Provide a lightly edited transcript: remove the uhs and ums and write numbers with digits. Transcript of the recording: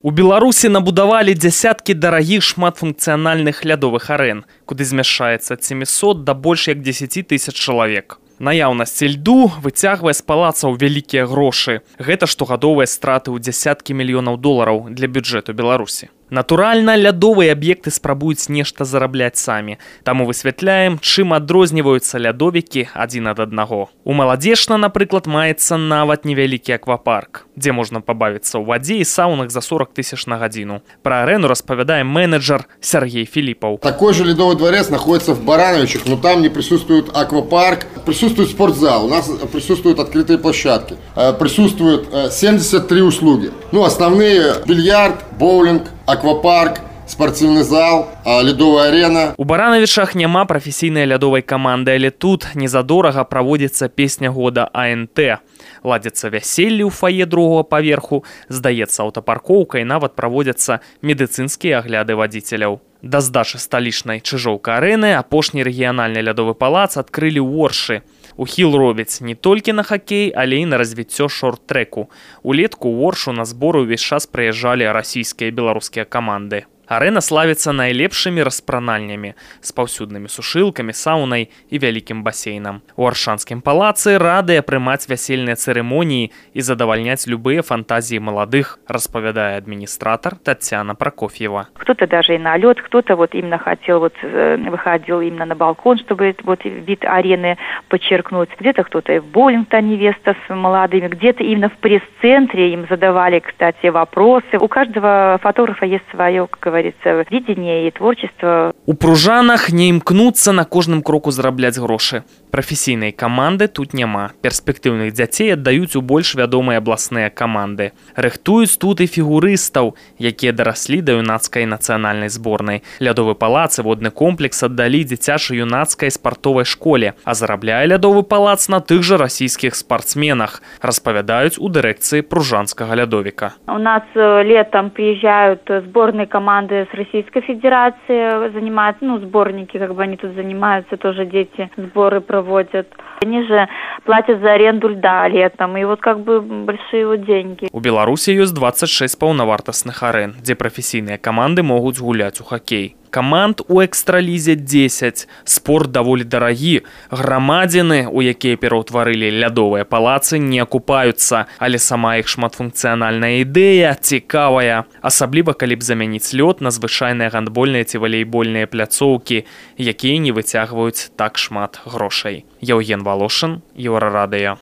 У Беларусі набудавалі дзясяткі дарагіх шматфункцыянальных лядовых арэн, куды змяшчаецца ад 700 да больш як 10 тысяч чалавек. Наяўнасць льду выцягвае з палацаў вялікія грошы. Гэта штогадовыя страты ў дзясяткі мільёнаў долараў для бюджэту Беларусі. Натуральна, лядовыя аб'екты спрабуюць нешта зарабляць самі. Таму высвятляем, чым адрозніваюцца лядовікі адзін ад аднаго. У Маладзешна, напрыклад, маецца нават невялікі аквапарк, дзе можна пабавіцца ў вадзе і саунах за 40 тысяч на гадзіну. Пра арэну распавядае менеджер Сергей Филиппов. Такой же ледовый дворец находится в Барановичах, но там не присутствует аквапарк, присутствует спортзал, у нас присутствуют открытые площадки, присутствуют 73 услуги. Основные: бильярд, боулинг, аквапарк, спортивный зал, ледовая арена. У Барановичах няма прафесійнай лядовай каманды, але тут незадорага праводзіцца песня года АНТ. Ладзяцца вяселлі ў фае другога паверху, здаецца аўтапаркоўка і нават праводзяцца медыцынскія агляды вадзіцеляў. Да здачы сталічнай Чыжоўка-арэны апошні рэгіянальны лядовы палац адкрылі ў Оршы. Ухіл робяць не толькі на хакей, але і на развіццё шорт-трэку. Улетку ў Оршу на зборы ўвесь час прыязджалі расійскія і беларускія каманды. Арэна славіцца найлепшымі распранальнямі, з паўсюднымі сушылкамі, саунай і вялікім басейнам. У Аршанскім палацы радыя прымаць вясельныя цырымоніі і задавальняць любыя фантазіі маладых, распавядае администратор Татьяна Прокофьева. Кто-то даже и на лед, кто-то именно хотел, выходил именно на балкон, чтобы вид арены подчеркнуть. Где-то кто-то и в боулинг, та невеста с молодыми, где-то именно в пресс-центре им задавали, кстати, вопросы. У каждого фотографа есть свое, как говорится, видение и творчество. У пружанах не імкнуцца на кожным кроку зарабляць грошы. Прафесійнай каманды тут няма. Перспектыўных дзяцей аддаюць у больш вядомыя абласныя каманды. Рыхтуюць тут і фігурыстаў, якія дараслі да юнацкай нацыянальнай зборнай. Лядовы палац і водны комплекс аддалі дзіцяча-юнацкай спартовай школе, а зарабляе лядовы палац на тых жа расійскіх спартсменах, распавядаюць у дырэкцыі пружанскага лядовіка. У нас летом приезжают сборные команды с Российской Федерации, занимаются, сборники, они тут занимаются, тоже дети сборы проводят. Они же платят за аренду льда летом, и большие деньги. У Беларусі ёсць 26 паўнавартасных арэн, дзе прафесійныя каманды могуць гуляць у хакей. Каманд у экстралізе 10. Спорт даволі дарагі. Грамадзіны, у якія пераўтварылі лядовыя палацы, не акупаюцца, але сама іх шматфункцыянальная ідэя цікавая. Асабліва, калі б замяніць лёд на звычайныя гандбольныя ці валейбольныя пляцоўкі, якія не выцягваюць так шмат грошай. Яўген Волошин, Еўрарадыё.